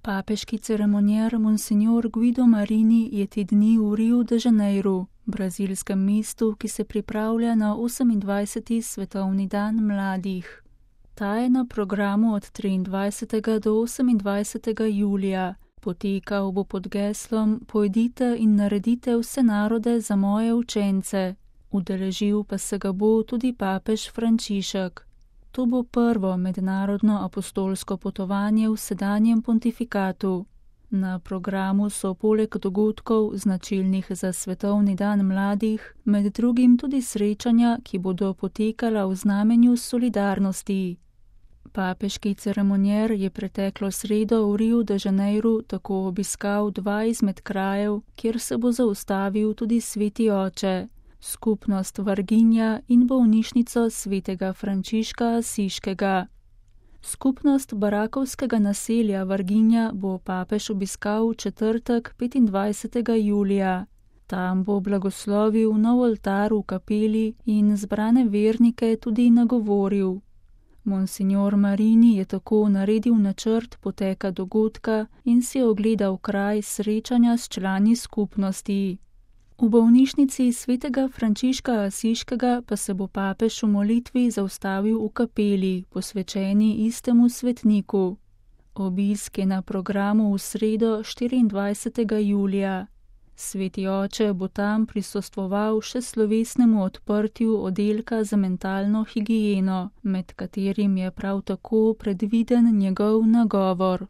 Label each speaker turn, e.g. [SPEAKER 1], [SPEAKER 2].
[SPEAKER 1] Papeški ceremonier Monsignor Guido Marini je te dni v Rio de Janeiro, brazilskem mestu, ki se pripravlja na 28. svetovni dan mladih. Ta je na programu od 23. do 28. julija. Potekal bo pod geslom Pojdite in naredite vse narode za moje učence. Udeležil pa se ga bo tudi papež Frančišek. To bo prvo mednarodno apostolsko potovanje v sedanjem pontifikatu. Na programu so poleg dogodkov, značilnih za svetovni dan mladih, med drugim tudi srečanja, ki bodo potekala v znamenju solidarnosti. Papeški ceremonier je preteklo sredo v Rio de Janeiro tako obiskal 2 izmed krajev, kjer se bo zaustavil tudi sveti oče, skupnost Varginja in bolnišnico svetega Frančiška Asiškega. Skupnost barakovskega naselja Varginja bo papež obiskal v četrtek 25. julija. Tam bo blagoslovil nov oltar v kapeli in zbrane vernike tudi nagovoril. Monsignor Marini je tako naredil načrt poteka dogodka in si ogledal kraj srečanja s člani skupnosti. V bolnišnici svetega Frančiška Asiškega pa se bo papež v molitvi zaustavil v kapeli, posvečeni istemu svetniku. Obisk je na programu v sredo 24. julija. Sveti oče bo tam prisostvoval še slovesnemu odprtju oddelka za mentalno higieno, med katerim je prav tako predviden njegov nagovor.